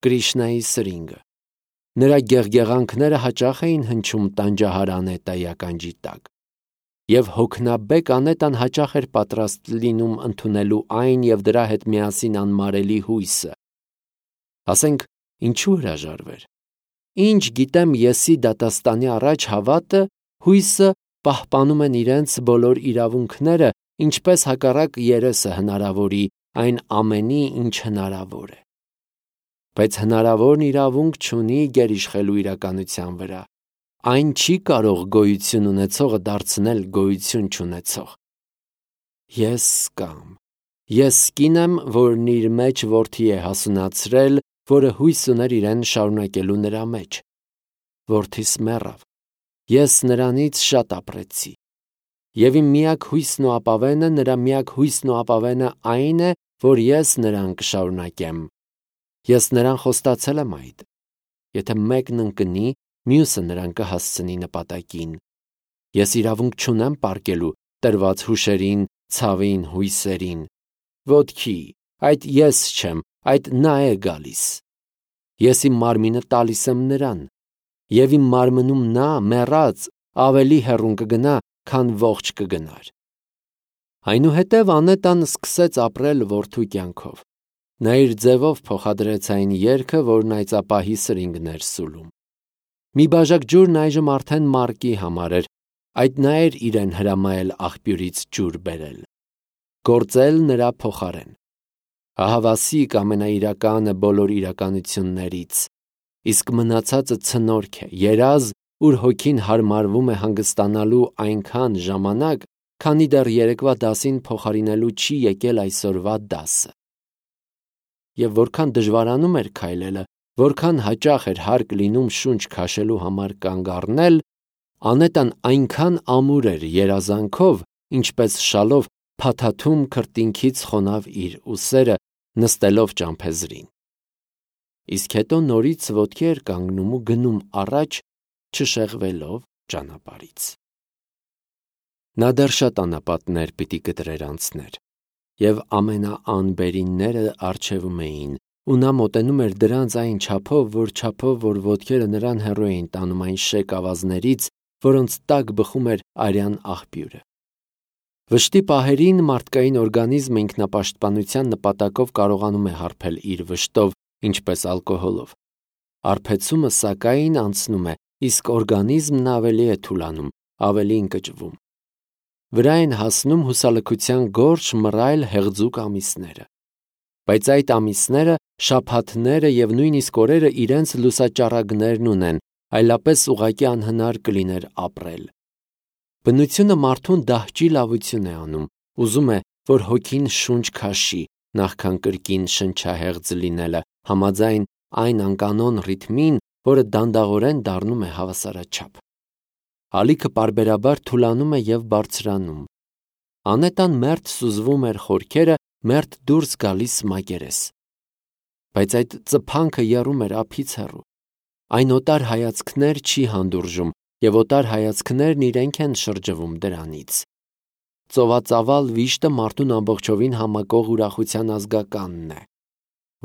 Կրիշնայի սրինգը։ Նրա գեղգեղանքները հաճախ էին հնչում տանջահար Անետայի ականջի տակ, և հոգնաբեկ Անետան հաճախ էր պատրաստ լինում ընդունելու այն և դրա հետ միասին անմարելի հույսը։ Ասենք, ինչու հրաժարվեր։ Ինչ գիտեմ, եսի դատաստանի առաջ հավատը, հույսը պահպանում են իրենց բոլոր իրավունքները, ինչպես հակառակ երեսը հնարավորի այն ամենի, ինչ հնարավոր է։ Բայց հնարավորն իրավունք չունի գերիշխելու իրականության վրա։ Այն չի կարող գոյություն ունեցողը դարձնել գոյություն չունեցող։ Ես կին եմ, որն իր մեջ որդի է հասունացրել, որը հույս ուներ իրեն շարունակելու նրա մեջ։ Որդիս մեռավ։ Ես նրանից շատ ապրեցի։ Եվ իմ միակ հույսն ու ապավենը, նրա միակ հույսն ու ապավենը այն է, որ ես նրան կշարունակեմ։ Ես նրան խոստացել եմ այդ։ Եթե մեկն ընկնի, մյուսը նրան կհասցնի նպատակին։ Ես իրավունք չունեմ պառկելու տրված հուշերին, ցավին, հույսերին։ Ոտքի, այդ ես չեմ, այդ նա է գալիս։ Ես իմ մարմինը տալիս եմ նրան, և իմ մարմնում նա, մեռած, ավելի հեռուն կգնա, քան ողջ կգնար։ Այնուհետև Անետան սկսեց ապրել որդու կյանքով։ Նա իր ձևով փոխադրեց այն երգը, որն այծապահի սրինգն էր սուլում։ Մի բաժակ ջուրն այժմ արդեն Մարկի համար էր, այդ նա էր իրեն հրամայել աղբյուրից ջուր բերել, գործել նրա փոխարեն։ Ահավասիկ ամենաիրականը բոլոր իրականություններից, իսկ մնացածը ցնորք է, երազ, ուր հոգին հարմարվում է հանգստանալու այնքան ժամանակ, քանի դեռ երեկվա դասին փոխարինելու չի եկել այսօրվա դասը։ Եվ որքան դժվարանում էր քայլելը, որքան հաճախ էր հարկ լինում շունչ քաշելու համար կանգ առնել, Անետան այնքան ամուր էր երազանքով, ինչպես շալով փաթաթում քրտինքից խոնավ իր ուսերը, նստելով ճամփեզրին։ Իսկ հետո նորից ոտքի էր կանգնում ու գնում առաջ, չշեղվելով ճանապարհից։ Նա դեռ շատ անապատներ պիտի կտրեր անցներ, և ամենաանբերինները առջևում էին, ու նա մոտենում էր դրանց այն չափով, որ ոտքերը նրան հեռու էին տանում այն շեկ ավազներից, որոնց տակ բխում էր արյան աղբյուրը։ Վշտի պահերին մարդկային օրգանիզմը ինքնապաշտպանության նպատակով կարողանում է հարբել իր վշտով, ինչպես ալկոհոլով։ Արբեցումը, սակայն, անցնում է, իսկ օրգանիզմն ավելի է թուլանում, ավելի ընկճվում։ Վրա են հասնում հուսալքության գորշ, մռայլ, հեղձուկ ամիսները։ Բայց այդ ամիսները, շաբաթները և նույնիսկ օրերը իրենց լուսաճառագներն ունեն, այլապես ուղղակի անհնար կլիներ ապրել։ Բնությունը մարդուն դահճի լավություն է անում, ուզում է, որ հոգին շունչ քաշի, նախքան կրկին շնչահեղձ լինելը, համաձայն այն անկանոն ռիթմին, որը դանդաղորեն դառնում է հավասարաչափ։ Ալիքը պարբերաբար թուլանում է և բարձրանում։ Անետան մերթ սուզվում էր խորքերը, մերթ դուրս գալիս մակերես։ Բայց այդ ծփանքը եռում էր ափից հեռու։ Այն օտար հայացքներ չի հանդուրժում, և օտար հայացքներն իրենք են շրջվում դրանից։ Ծովածավալ վիշտը մարդուն ամբողջովին համակող ուրախության ազգականն է։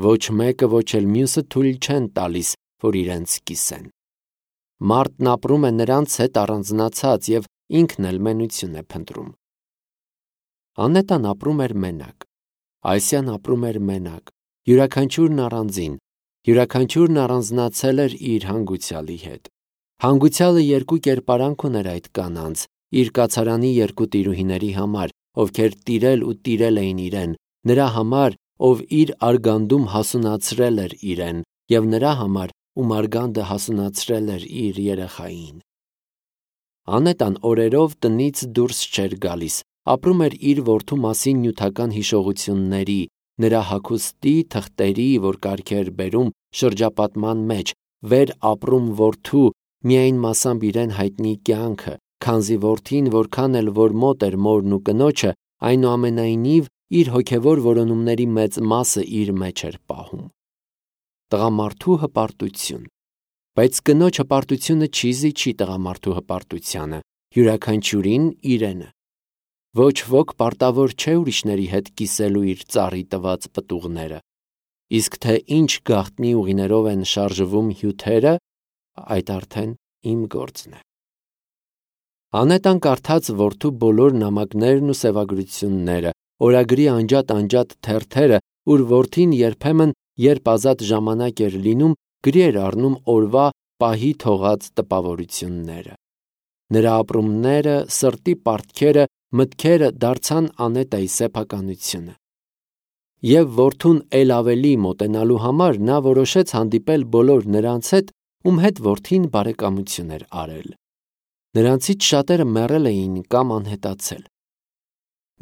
Ոչ մեկը, ոչ էլ մյուսը թույլ չեն տալիս, որ իրենց կիսեն։ Մարդն ապրում է նրանց հետ առանձնացած և ինքն էլ մենություն է փնտրում։ Անետան ապրում էր մենակ։ Այսյան ապրում էր մենակ, յուրաքանչյուրն առանձին, յուրաքանչյուրն առանձնացել էր իր հանգուցյալի հետ։ Հանգուցյալը երկու կերպարանք ուներ այդ կանանց, իր կացարանի երկու տիրուհիների համար, ովքեր տիրել ու տիրել էին իրեն, նրա համար, ով իր արգանդում հասունացրել էր իրեն, և նրա համար, ում արգանդը հասունացրել էր իր երեխային։ Անետան օրերով տնից դուրս չէր գալիս, ապրում էր իր որդու մասին նյութական հիշողությունների, նրա հագուստի, թղթերի, որ կարգ էր բերում շրջապատման մեջ, վեր ապրում որդու, միայն մասամբ իրեն հայտնի կյանքը, քանզի որդին, որքան էլ որ մոտ էր մորն ու կնոջը, այնուամենայնիվ իր հոգևոր որոնումների մեծ մասը իր մեջ էր պահում։ Տղամարդու հպարտություն։ Բայց կնոջ հպարտությունը չի զիջի տղամարդու հպարտությանը, յուրաքանչյուրին իրենը։ Ոչ ոք պարտավոր չէ ուրիշների հետ կիսելու իր ծառի տված պտուղները։ իսկ թե ինչ գաղտնի ուղիներով են շարժվում հյութերը, այդ արդեն իմ գործն է։ Անետան կարդաց որդու բոլոր նամակներն ու սևագրությունները, օրագրի անջատ թերթերը, ուր որդին երբեմն, երբ ազատ ժամանակ էր լինում, գրի էր առնում օրվա պահի թողած տպավորությունները։ Նրա ապրումները, սրտի պարտքերը, մտքերը դարձան Անետայի սեփականությունը։ Եվ որդուն էլ ավելի մոտենալու համար նա որոշեց հանդիպել բոլոր նրանց հետ, ում հետ որդին բարեկամություն էր արել։ Նրանցից շատերը մեռել էին կամ անհետացել։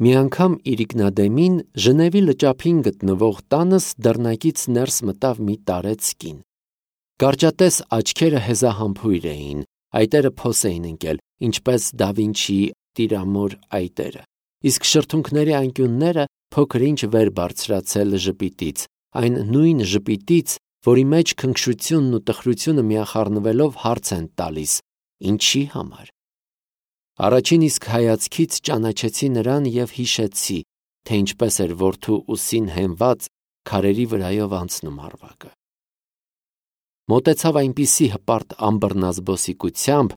Մի անգամ իրիկնադեմին Ժնևի լճափին գտնվող տանս դռնակից ներս մտավ մի տարեց կին։ Կարճատես աչքերը հեզահամբույր էին, այտերը փոս էին ընկել, ինչպես Դա Վինչիի տիրամոր այտերը, իսկ շրթունքների անկյունները փոքր-ինչ վեր բարձրացել ժպիտից, այն նույն ժպիտից, որի մեջ քնքշությունն ու տխրությունը միախառնվելով հարց են տալիս. ինչի համար։ Առաջին իսկ հայացքից ճանաչեցի նրան եւ հիշեցի, թե ինչպես էր որդու ուսին հենված քարերի վրայով անցնում արվակը։ Մոտեցավ այնպիսի հպարտ ամբռնազբոսիկությամբ,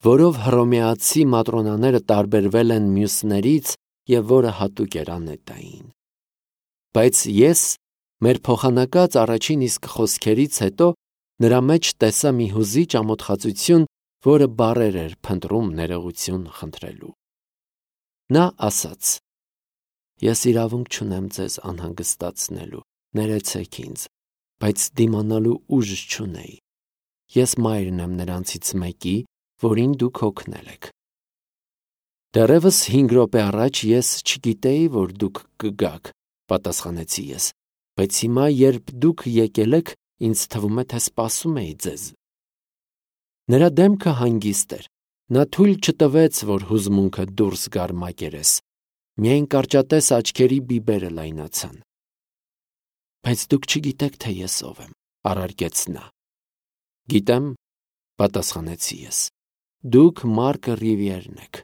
որով հռոմեացի մատրոնաները տարբերվել են մյուսներից եւ որը հատուկ էր Անետային։ Բայց ես, մեր փոխանակած առաջին իսկ խոսքերից հետո, նրա մեջ տեսա մի հուզիչ ամոթխածություն, որը բառեր էր փնտրում ներողություն խնդրելու։ Նա ասաց. «Ես իրավունք չունեմ ձեզ անհանգստացնելու, ներեցեք ինձ, բայց դիմանալու ուժ չունեի։ Ես մայրն եմ նրանցից մեկի, որին դուք հոգնել եք»։ Դեռևս 5 րոպե առաջ ես չգիտեի, որ դուք կգաք, պատասխանեցի ես, բայց հիմա, երբ դուք եկել եք, ինձ թվում է, թե սպասում էի ձեզ։ Նրա դեմքը հանգիստ էր, նա թույլ չտվեց, որ հուզմունքը դուրս գար մակերես, միայն կարճատես աչքերի բիբերը լայնացան։ Բայց դուք չգիտեք, թե ես ով եմ, առարկեց նա։ Գիտեմ, պատասխանեցի ես, դուք Մարկը Ռիվիերն եք։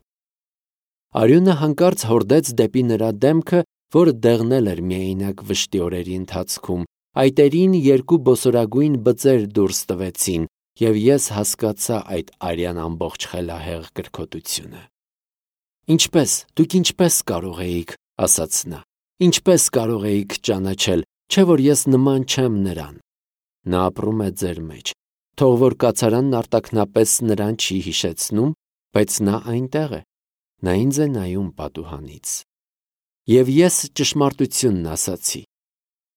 Արյունը հանկարծ հորդեց դեպի նրա դեմքը, որը դեղնել էր միայնակ վշտի օրերի ընթացքում, այտերին 2 բոսորագույն բծեր դուրս տվեցին, եւ ես հասկացա այդ արյան ամբողջ խելահեղ կրքոտությունը։ Դուք ինչպես կարող էիք, ասաց նա, ինչպես կարող էիք ճանաչել, չէ՞ որ ես նման չեմ նրան։ Նա ապրում է ձեր մեջ, թող որ կացարանն արտաքնապես նրան չի հիշեցնում, բայց նա այնտեղ է, նա ինձ է նայում պատուհանից։ Եվ ես ճշմարտությունն ասացի։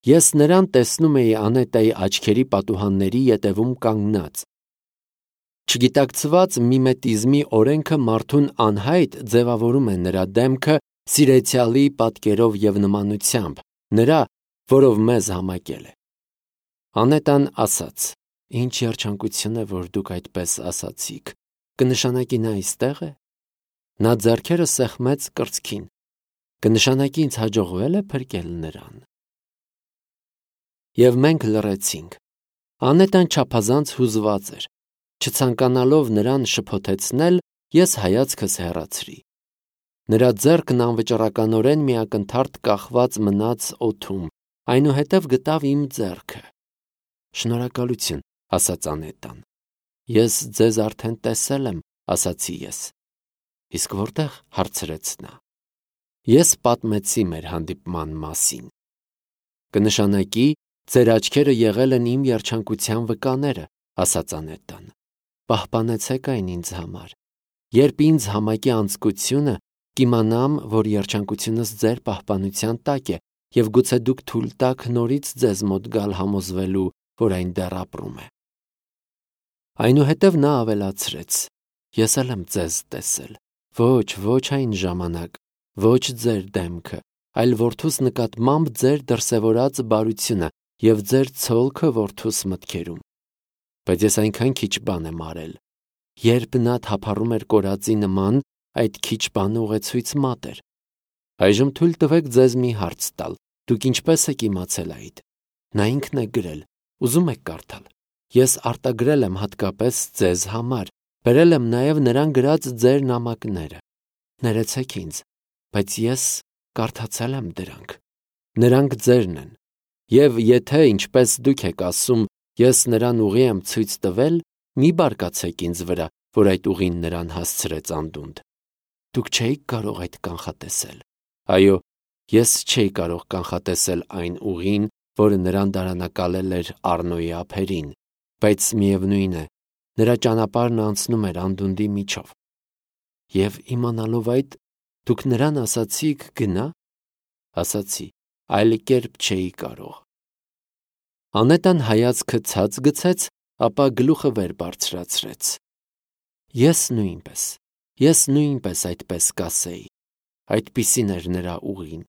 Ես նրան տեսնում էի Անետայի աչքերի պատուհանների ետևում կանգնած։ Չգիտակցված միմետիզմի օրենքը մարդուն անհայտ ձևավորում է նրա դեմքը սիրեցյալի պատկերով եւ նմանությամբ, նրա, որով մեզ համակել է։ Անետան ասաց. «Ինչ երջանկություն է, որ դուք այդպես ասացիք, կնշանակի նա այստեղ է»։ Նա ձեռքերը սեղմեց կրծքին, կնշանակի ինձ հաջողվել է փրկել նրան։ Եվ մենք լռեցինք։ Անետան չափազանց հուզված էր։ Չցանկանալով նրան շփոթեցնել, ես հայացքս հեռացրի։ Նրա ձեռքն անվճռականորեն մի ակնթարթ կախված մնաց օդում, այնուհետև գտավ իմ ձեռքը։ Շնորհակալություն, ասաց Անետան։ Ես ձեզ արդեն տեսել եմ, ասացի ես։ Իսկ որտեղ, հարցրեց նա։ Ես պատմեցի մեր հանդիպման մասին։ Կնշանակի, ձեր աչքերը եղել են իմ երջանկության վկաները, ասաց Անետան։ Պահպանեցեք այն ինձ համար։ Երբ ինձ համակի անձկությունը, կիմանամ, որ երջանկությունս ձեր պահպանության տակ է, եւ գուցե դուք թույլ տաք նորից ձեզ մոտ գալ համոզվելու, որ այն դեռ ապրում է։ Այնուհետև նա ավելացրեց. Ես էլ եմ ձեզ տեսել, ոչ այն ժամանակ, ոչ ձեր դեմքը, այլ որդուս նկատմամբ ձեր դրսևորած բարությունը եւ ձեր ցոլքը որդուս մտքերում։ Բայց ես այնքան քիչ բան եմ արել։ Երբ նա թափառում էր կորածի նման, այդ քիչ բանը ուղեցույց մատ էր։ Այժմ թույլ տվեք ձեզ մի հարց տալ։ Դուք ինչպես եք իմացել այդ։ Նա ինքն է գրել, ուզում եք կարդալ։ Ես արտագրել եմ հատկապես ձեզ համար, բերել եմ նաև նրան գրած ձեր նամակները։ Ներեցեք ինձ, բայց ես կարդացել եմ դրանք։ Նրանք ձերն են։ Եվ եթե ինչպես դուք եք ասում, ես նրան ուղի եմ ցույց տվել, մի բարկացեք ինձ վրա, որ այդ ուղին նրան հասցրեց անդունդ։ Դուք չէիք կարող այդ կանխատեսել։ Այո, ես չէի կարող կանխատեսել այն ուղին, որը նրան դարանակալել էր Առնոյի ափերին, բայց միևնույն է, նրա ճանապարհն անցնում էր անդունդի միջով։ Եվ իմանալով այդ, դուք նրան ասացիք գնա։ Ասացի, այլ կերպ չէի կարող։ Անետան հայացքը ցած գցեց, ապա գլուխը վեր բարձրացրեց։ Ես նույնպես այդպես կասեի։ Այդպիսին էր նրա ուղին։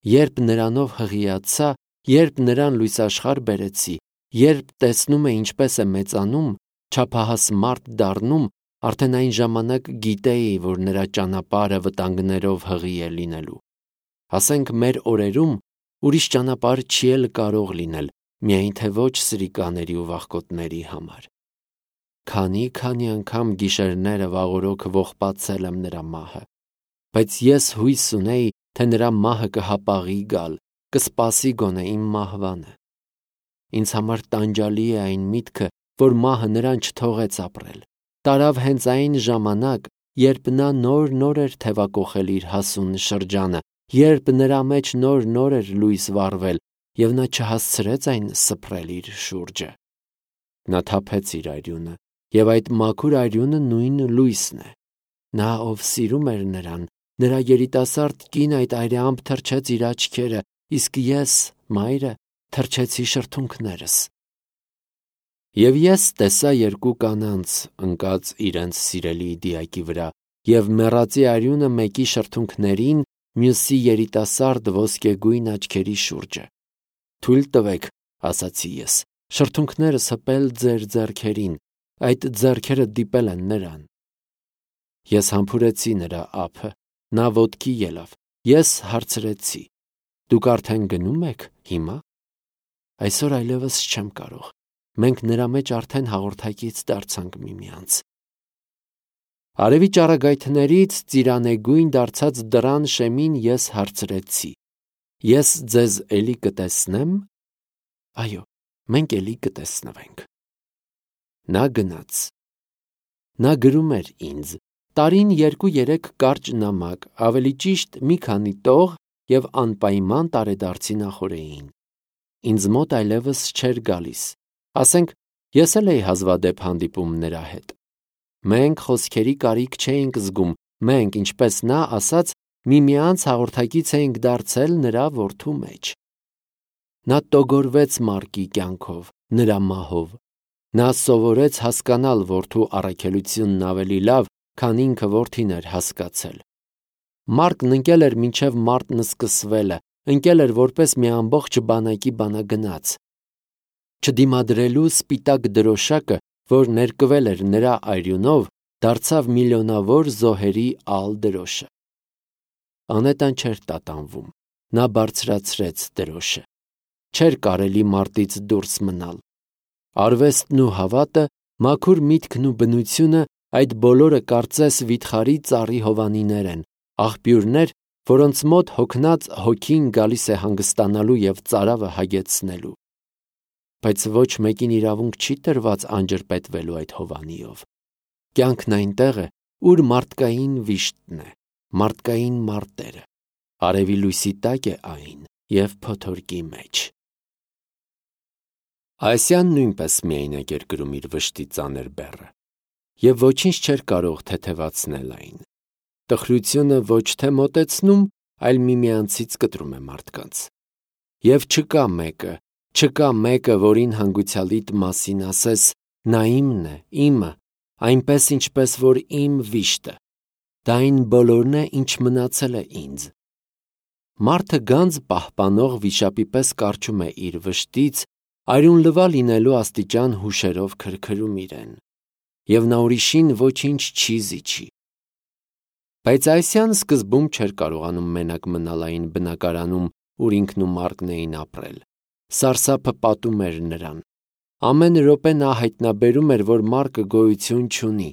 Երբ նրանով հղիացա, երբ նրան լույսաշխարհ բերեցի, երբ տեսնում է ինչպես է մեծանում, չափահաս մարդ դառնում, արդեն այն ժամանակ գիտեի, որ նրա ճանապարհը վտանգներով հղի է լինելու։ Ասենք մեր օրերում ուրիշ ճանապարհ չի էլ կարող լինել, միայն թե ոչ սրիկաների ու վախկոտների համար։ Քանի անգամ գիշերները վաղօրոք ողբացել եմ նրա մահը, բայց ես հույս ունեի, թե նրա մահը կհապաղի գալ, կսպասի գոնե իմ մահվանը։ Ինձ համար տանջալի է այն միտքը, որ մահը նրան չթողեց ապրել։ Տարավ հենց այն ժամանակ, երբ նա նոր էր թևակոխել իր հասուն շրջանը, երբ նրա մեջ նոր էր լույս վառվել, և նա չհասցրեց այն սփռել իր շուրջը։ Նա թափեց իր արյունը, և այդ մաքուր արյունը նույն լույսն է։ Նա, ով սիրում էր նրան, նրա երիտասարդ կին այդ արյամբ թրջեց իր աչքերը, իսկ ես, մայրը, թրջեցի շրթունքներս։ Եվ ես տեսա երկու կանանց ընկած իրենց սիրելի դիակի վրա, և մեռածի արյունը մեկի շրթունքներին, մյուսի երիտասարդ ոսկեգույն աչքերի շուրջը։ Թույլ տվեք, ասացի ես, շրթունքներս հպել ձեր ձեռքերին, այդ ձեռքերը դիպել են նրան։ Ես համբուրեցի նրա ափը, նա ոտքի ելավ, ես հարցրեցի. դուք արդեն գնում եք հիմա։ Այսօր այլևս չեմ կարող, մենք նրա մեջ արդեն հաղորդակից դարձանք միմյանց։ Արևի ճառագայթներից ծիրանեգույն դարձած դռան շեմին ես հարցրեցի. ես ձեզ էլի կտեսնեմ։ Այո, մենք էլի կտեսնվենք։ Նա գնաց։ Նա գրում էր ինձ, տարին 2-3 կարճ նամակ, ավելի ճիշտ մի քանի տող և անպայման տարեդարձի նախօրեին։ Ինձ մոտ այլևս չէր գալիս, ասենք, ես էլ էի հազվադեպ հանդիպում նրա հետ։ Մենք խոսքերի կարիք չէինք զգում, մենք, ինչպես նա ասաց, միմյանց հաղորդակից էինք դարձել նրա որդու մեջ։ Նա տոգորվեց Մարկի կյանքով, նրա մահով։ Նա սովորեց հասկանալ որդու առաքելությունն ավելի լավ, քան ինքը որդին էր հասկացել։ Մարկն ընկել էր մինչև մարտն սկսվելը, ընկել էր որպես մի ամբողջ բանակի բանագնաց։ Չդիմադրելու սպիտակ դրոշակը, որ ներկվել էր նրա արյունով, դարձավ միլիոնավոր զոհերի ալ դրոշը։ Անետան չէր տատանվում, նա բարձրացրեց դրոշը։ Չէր կարելի մարտից դուրս մնալ։ Արվեստն ու հավատը, մաքուր միտքն ու բնությունը, այդ բոլորը կարծես վիթխարի ծառի հովանիներ են, աղբյուրներ, որոնց մոտ հոգնած հոգին գալիս է հանգստանալու և ծարավը հագեցնելու։ Բայց ոչ մեկին իրավունք չի տրված անջրպետվելու այդ հովանիով։ Կյանքն այնտեղ է, ուր մարդկային վիշտն է, մարդկային մարտերը, արևի լույսի տակ է այն և փոթորկի մեջ։ Ասիան նույնպես միայնակ էր գրում իր վշտի ծանր բեռը, և ոչինչ չէր կարող թեթևացնել այն։ Տխրությունը ոչ թե մոտեցնում, այլ միմյանցից կտրում է մարդկանց։ Եվ չկա մեկը, որին հանգուցյալիդ մասին ասես, նա իմն է, իմը, այնպես ինչպես որ իմ վիշտը, դա այն բոլորն է, ինչ մնացել է ինձ։ Մարդը գանձ պահպանող վիշապի պես կառչում է իր վշտից, արյունլվա լինելու աստիճան հուշերով քրքրում իրեն, և նա ուրիշին ոչինչ չի զիջի։ Բայց Ասիան սկզբում չէր կարողանում մենակ մնալ այն բնակարանում, ուր ինքն ու Մարկն էին ապրել։ Սարսափը պատում էր նրան։ Ամեն րոպե նա հայտնաբերում էր, որ Մարկը գոյություն չունի։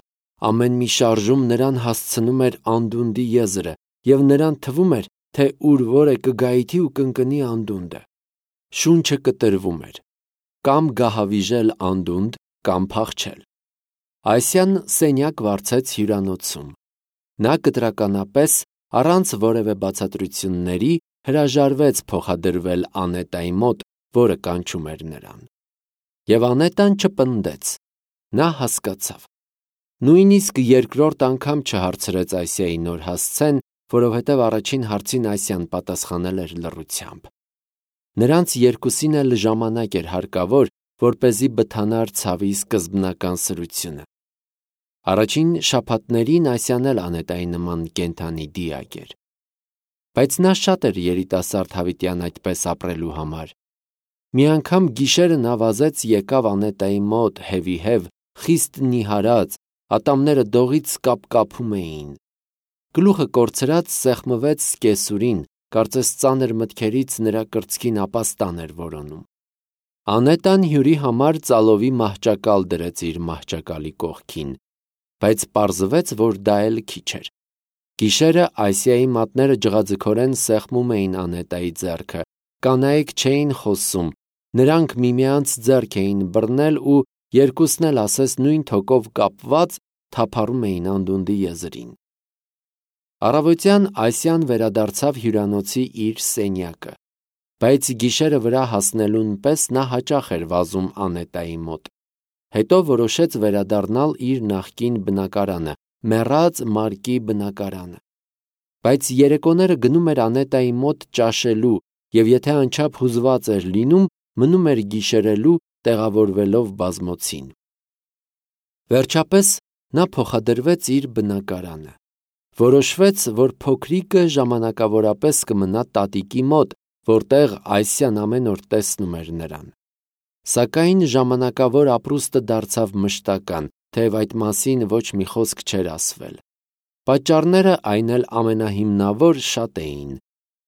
Ամեն մի շարժում նրան հասցնում էր անդունդի եզրը, և նրան թվում էր, թե ուր որ է կգայթի ու կընկնի անդունդը։ շունչը կտրվում էր, կամ գահավիժել անդունդ, կամ փախչել։ Այսյան սենյակ վարձեց հյուրանոցում։ Նա կտրականապես, առանց որևէ բացատրությունների, հրաժարվեց փոխադրվել Անետայի մոտ, որը կանչում էր նրան։ Եվ Անետան չպնդեց։ Նա հասկացավ։ Նույնիսկ երկրորդ անգամ չհարցրեց Այսիայի նոր հասցեն, որովհետև առաջին հարցին Այսիան պատասխանել էր լռությամբ։ Նրանց երկուսին էլ ժամանակ էր հարկավոր, որպեսզի բթանար ցավի սկզբնական սրությունը։ Առաջին շաբաթներին Այսիան էլ Անետայի նման կենդանի դիակ էր։ Բայց նա շատ էր երիտասարդ հավիտյան այդպես ապրելու համար։ Մի անգամ գիշերը նա վազեց եկավ Անետայի մոտ հևիհև, խիստ նիհարած, ատամները դողից կապկապում էին։ Գլուխը կորցրած սեղմվեց կեսուրին, կարծես ծանր մտքերից նրա կրծքին ապաստան էր որոնում։ Անետան հյուրի համար ծալովի մահճակալ դրեց իր մահճակալի կողքին, բայց պարզվեց, որ դա էլ քիչ էր։ Գիշերը Այսիայի մատները ջղաձգորեն սեղմում էին Անետայի ձեռքը, կանայք չէին խոսում, նրանք միմյանց ձեռք էին բռնել ու երկուսն էլ ասես նույն թոկով կապված թափառում էին անդունդի եզրին։ Առավոտյան Այսիան վերադարձավ հյուրանոցի իր սենյակը, բայց գիշերը վրա հասնելուն պես նա հաճախ էր վազում Անետայի մոտ։ Հետո որոշեց վերադառնալ իր նախկին բնակարանը, մեռած Մարկի բնակարանը։ Բայց երեկոները գնում էր Անետայի մոտ ճաշելու և եթե անչափ հուզված էր լինում, մնում էր գիշերելու, տեղավորվելով բազմոցին։ Վերջապես նա փոխադրվեց իր բնակարանը։ Որոշվեց, որ փոքրիկը ժամանակավորապես կմնա տատիկի մոտ, որտեղ Այսիան ամեն օր տեսնում էր նրան։ Սակայն ժամանակավոր ապրուստը դարձավ մշտական, թեև այդ մասին ոչ մի խոսք չէր ասվել։ Պատճառները այն էլ ամենահիմնավոր շատ էին։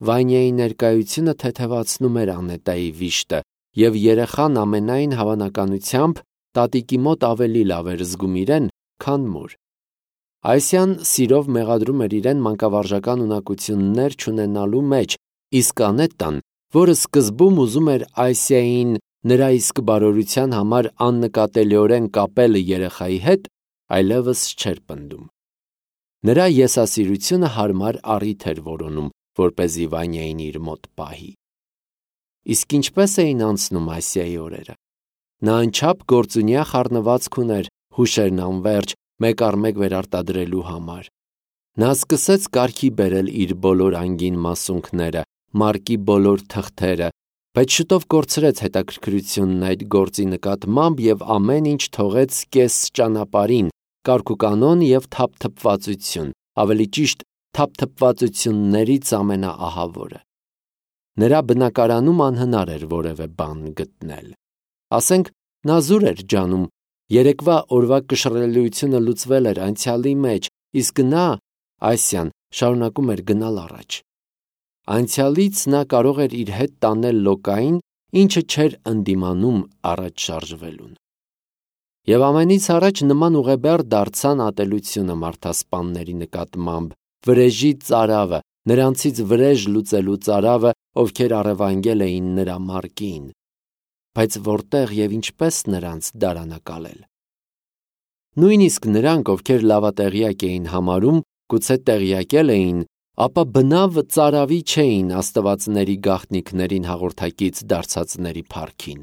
Վանյայի ներկայությունը թեթևացնում էր Անետայի վիշտը, և երեխան ամենայն հավանականությամբ տատիկի մոտ ավելի լավ էր զգում իրեն, քան մոր։ Այսիան սիրով մեղադրում էր իրեն մանկավարժական ունակություններ չունենալու մեջ, իսկ Անետան, որը սկզբում ուզում էր Այսիային նրա իսկ բարօրության համար աննկատելիորեն կապել երեխայի հետ, այլևս չէր պնդում։ Նրա եսասիրությունը հարմար առիթ էր որոնում, որպեսզի Վանյային իր մոտ պահի։ Իսկ ինչպես էին անցնում Այսիայի օրերը։ Նա անչափ գործունյա խառնվածք ուներ հուշերն անվերջ մեկ առ մեկ վերարտադրելու համար։ Նա սկսեց կարգի բերել իր բոլոր անգին մասունքները, Մարկի բոլոր թղթերը, բայց շուտով կորցրեց հետաքրքրությունն այդ գործի նկատմամբ և ամեն ինչ թողեց կես ճանապարհին, կարգուկանոն և թափթփվածություն, ավելի ճիշտ թափթփվածություններից ամենաահավորը։ Նրա բնակարանում անհնար էր որևէ բան գտնել։ Ասենք, նա զուր էր ջանում, երեկվա օրվա կշռելիությունը լուծվել էր անցյալի մեջ, իսկ նա, Այսիան, շարունակում էր գնալ առաջ։ Անցյալից նա կարող էր իր հետ տանել լոկային, ինչը չէր ընդդիմանում առաջ շարժվելուն։ Եվ ամենից առաջ նման ուղեբեռ դարձան ատելությունը մարդասպանների նկատմամբ, վրեժի ծարավը, նրանցից վրեժ լուծելու ծարավը, ովքեր առևանգել էին նրա Մարկին։ Բայց որտեղ և ինչպես նրանց դարանակալել։ Նույնիսկ նրանք, ովքեր լավատեղյակ էին համարում, գուցե տեղյակել էին, ապա բնավ ծարավի չէին աստվածների գաղտնիքներին հաղորդակից դարձածների փառքին։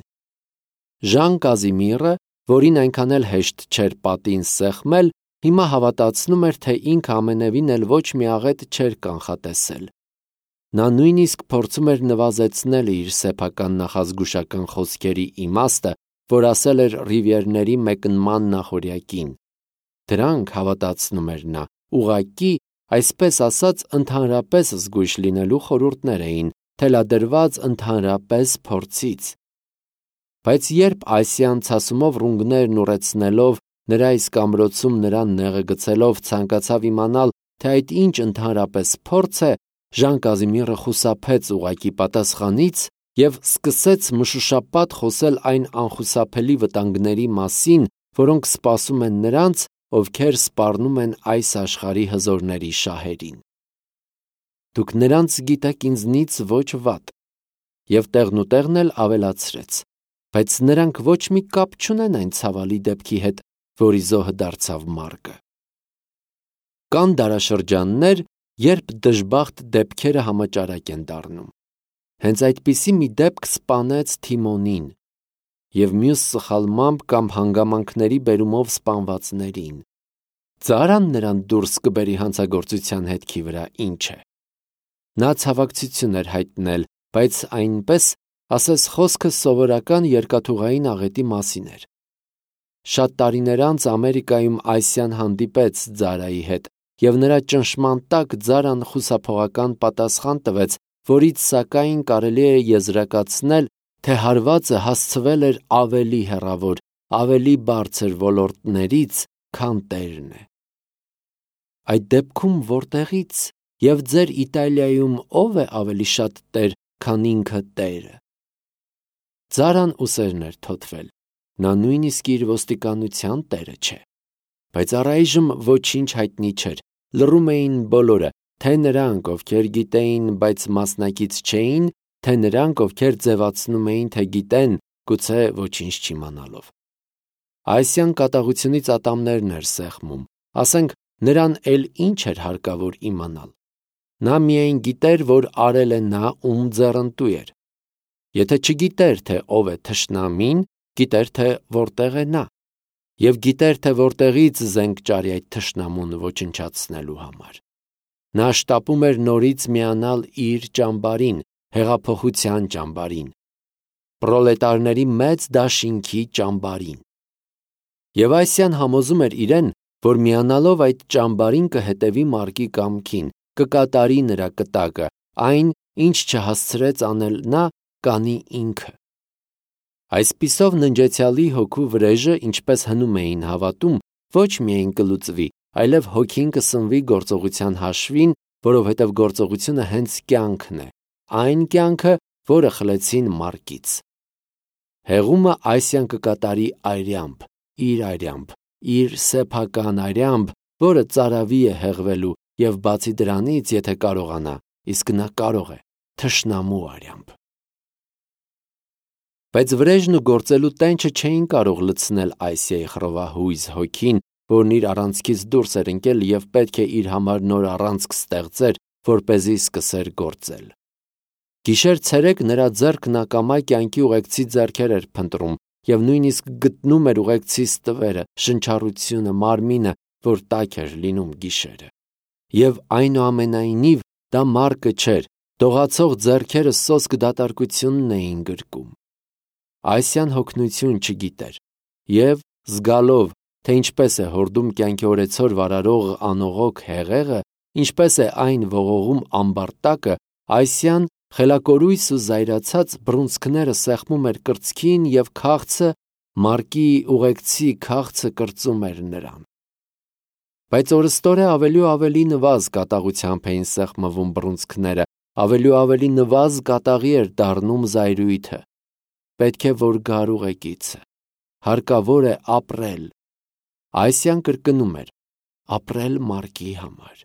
Ժան Կազիմիրը, որին այնքան էլ հեշտ չէր պատին սեղմել, հիմա հավատացնում էր, թե ինքը ամենևին էլ ոչ մի աղետ չէր կանխատեսել։ Նա նույնիսկ փորձում էր նվազեցնել իր սեփական նախազգուշական խոսքերի իմաստը, որ ասել էր Ռիվիերների մեկնման նախօրյակին։ Դրանք, հավատացնում էր նա, ուղղակի, այսպես ասած, ընդհանրապես զգույշ լինելու խորհուրդներ էին, թելադրված ընդհանրապես փորձից։ Բայց երբ Այսիան ցասումով ռունգներն ուռեցնելով, նրա իսկ ամրոցում նրան նեղը գցելով ցանկացավ իմանալ, թե այդ ինչ ընդհանրապես փորձ է, Ժան Կազիմիրը խուսափեց ուղղակի պատասխանից և սկսեց մշուշապատ խոսել այն անխուսափելի վտանգների մասին, որոնք սպասում են նրանց, ովքեր սպառնում են այս աշխարհի հզորների շահերին։ Դուք նրանց գիտեք ինձնից ոչ վատ։ և տեղնուտեղն էլ ավելացրեց, բայց նրանք ոչ մի կապ չունեն այն ցավալի դեպքի հետ, որի զոհը դարձավ Մարկը։ Կան դարաշրջաններ, երբ դժբախտ դեպքերը համաճարակ են դառնում։ Հենց այդպիսի մի դեպք սպանեց Թիմոնին և մյուս սխալմամբ կամ հանգամանքների բերումով սպանվածներին։ Ծարան նրան դուրս կբերի հանցագործության հետքի վրա, ինչ է։ Նա ցավակցություն էր հայտնել, բայց այնպես, ասես խոսքը սովորական երկաթուղային աղետի մասին էր։ Շատ տարիներ անց Ամերիկայում Այսյան հանդիպեց Ձարայի հետ, և նրա ճնշման տակ Ձարան խուսափողական պատասխան տվեց, որից սակայն կարելի է եզրակացնել, թե հարվածը հասցվել էր ավելի հեռավոր, ավելի բարձր ոլորտներից, քան տերն է։ Այդ դեպքում որտեղից և ձեր Իտալիայում ով է ավելի շատ տեր, քան ինքը տերը։ Ձարան ուսերն էր թոթվել, նա նույնիսկ իր ոստիկանության տերը չէ։ Բայց առայժմ ոչինչ հայտնի չէր, լռում էին բոլորը, թե նրանք, ովքեր գիտեին, բայց մասնակից չէին, թե նրանք, ովքեր ձևացնում էին, թե գիտեն, գուցե ոչինչ չիմանալով։ Այսյան կատաղությունից ատամներն էր սեղմում, ասենք, նրան էլ ինչ էր հարկավոր իմանալ։ Նա միայն գիտեր, որ արել է նա, ում ձեռնտու էր։ Եթե չգիտեր, թե ով է թշնամին, գիտեր, թե որտեղ է նա, և գիտեր, թե որտեղից զենք ճարի այդ թշնամուն ոչնչացնելու համար։ Նա շտապում էր նորից միանալ իր ճամբարին, հեղափոխության ճամբարին, պրոլետարների մեծ դաշինքի ճամբարին։ Եվ Այսյան համոզում էր իրեն, որ միանալով այդ ճամբարին կհետևի Մարկի կամքին, կկատարի նրա կտակը, այն, ինչ չհասցրեց անել նա, կանի ինքը։ Այսպիսով ննջեցյալի հոգու վրեժը, ինչպես հնում էին հավատում, ոչ միայն կլուծվի, այլև հոգին կսնվի գործողության հաշվին, որովհետև գործողությունը հենց կյանքն է, այն կյանքը, որը խլեցին Մարկից։ Հեղումը Այսյան կկատարի արյամբ, իր սեփական արյամբ, որը ծարավի է հեղվելու, և բացի դրանից, եթե կարողանա, իսկ նա կարող է, թշնամու արյամբ։ Բայց վրեժն ու գործելու տենչը չէին կարող լցնել Այսիայի խռովահույզ հոգին, որն իր առանցքից դուրս էր ընկել և պետք է իր համար նոր առանցք ստեղծեր, որպեսզի սկսեր գործել։ Գիշեր-ցերեկ նրա ձեռքն ակամա կյանքի ուղեկցի ձեռքեր էր փնտրում և նույնիսկ գտնում էր ուղեկցի ստվերը, շնչառությունը, մարմինը, որ տաք էր լինում գիշերը։ Եվ այնուամենայնիվ դա Մարկը չէր, դողացող ձեռքերը սոսկ դատարկությունն էին գրկում։ Այսյան հոգնություն չգիտեր, և զգալով, թե ինչպես է հորդում կյանքի օրեցօր վարարող անողոք հեղեղը, ինչպես է այն ողողում ամբարտակը, Այսյան խելակորույս ու զայրացած բռունցքները սեղմում էր կրծքին և քաղցը, Մարկի ուղեկցի քաղցը կրծում էր նրան։ Բայց օրըստօրե ավելի ու ավելի նվազ կատաղությամբ էին սեղմվում բռունցքները, ավելի ու ավելի նվազ կատաղի էր դառնում զայրույթը։ Պետք է, որ գար ուղեկիցը, հարկավոր է ապրել։ Այսյան կրկնում էր. ապրել Մարկի համար։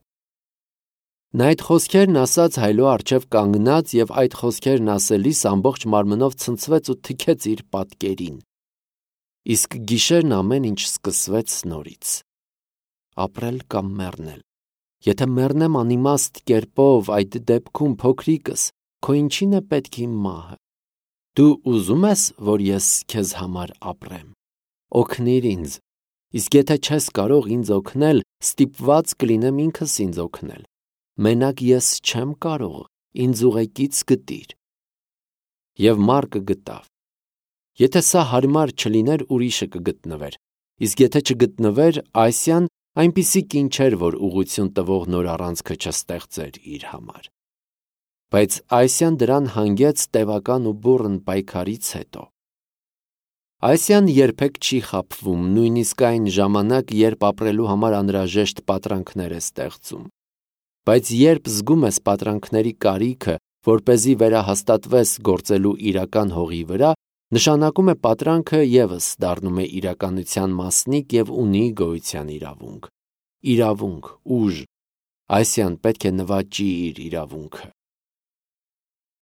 Նա այդ խոսքերն ասաց հայլո առջև կանգնած և այդ խոսքերն ասելիս ամբողջ մարմնով ցնցվեց ու թքեց իր պատկերին։ Իսկ գիշերն ամեն ինչ սկսվեց նորից։ Ապրել կամ մեռնել։ Եթե մեռնեմ անիմաստ կերպով, այդ դեպքում փոքրիկս, քո ինչին է պետք իմ մահը։ Դու ուզում ես, որ ես քեզ համար ապրեմ։ Օգնիր ինձ։ Իսկ եթե չես կարող ինձ օգնել, ստիպված կլինեմ ինքս ինձ օգնել։ Մենակ ես չեմ կարող, ինձ ուղեկից գտիր։ Եվ Մարկը գտավ։ Եթե սա հարմար չլիներ, ուրիշը կգտնվեր, իսկ եթե չգտնվեր, Այսյան այնպիսի կին չէր, որ ուղղություն տվող նոր առանցքը չստեղծեր իր համար։ Բայց Այսյան դրան հանգեց տևական ու բուռն պայքարից հետո։ Այսյան երբեք չի խաբվում, նույնիսկ այն ժամանակ, երբ ապրելու համար անհրաժեշտ պատրանքներ է ստեղծում։ Բայց երբ զգում ես պատրանքների կարիքը, որպեսզի վերահաստատվես գործելու իրական հողի վրա, նշանակում է պատրանքը ևս դառնում է իրականության մասնիկ և ունի գոյության իրավունք։ Իրավունք, ուժ։ Այսյան պետք է նվաճի իր իրավունքը։